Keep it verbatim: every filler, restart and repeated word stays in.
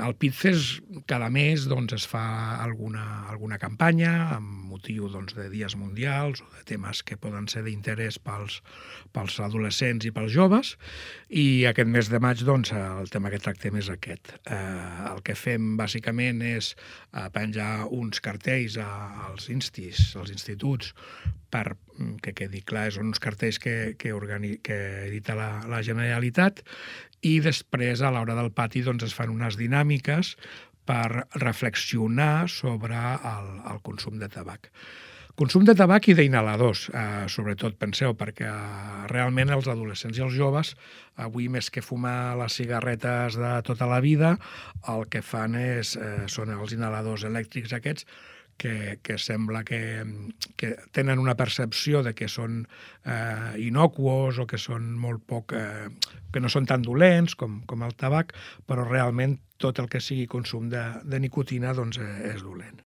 Al Pitces cada mes doncs, es fa alguna, alguna campanya amb motiu doncs, de dies mundials o de temes que poden ser d'interès pels, pels adolescents i pels joves, i aquest mes de maig doncs, el tema que tractem és aquest. Eh, el que fem bàsicament és eh, penjar uns cartells als instis, als instituts, per que quedi clar, són uns cartells que, que, organi, que edita la, la Generalitat, i després a l'hora del pati doncs, es fan unes dinàmiques per reflexionar sobre el, el consum de tabac. Consum de tabac i d'inhaladors, eh, sobretot, penseu, perquè realment els adolescents i els joves, avui més que fumar les cigarretes de tota la vida, el que fan és, eh, són els inhaladors elèctrics aquests, que, que sembla que, que tenen una percepció de que són eh, inocuos o que són molt poc, eh, que no són tan dolents com, com el tabac, però realment tot el que sigui consum de, de nicotina doncs, eh, és dolent.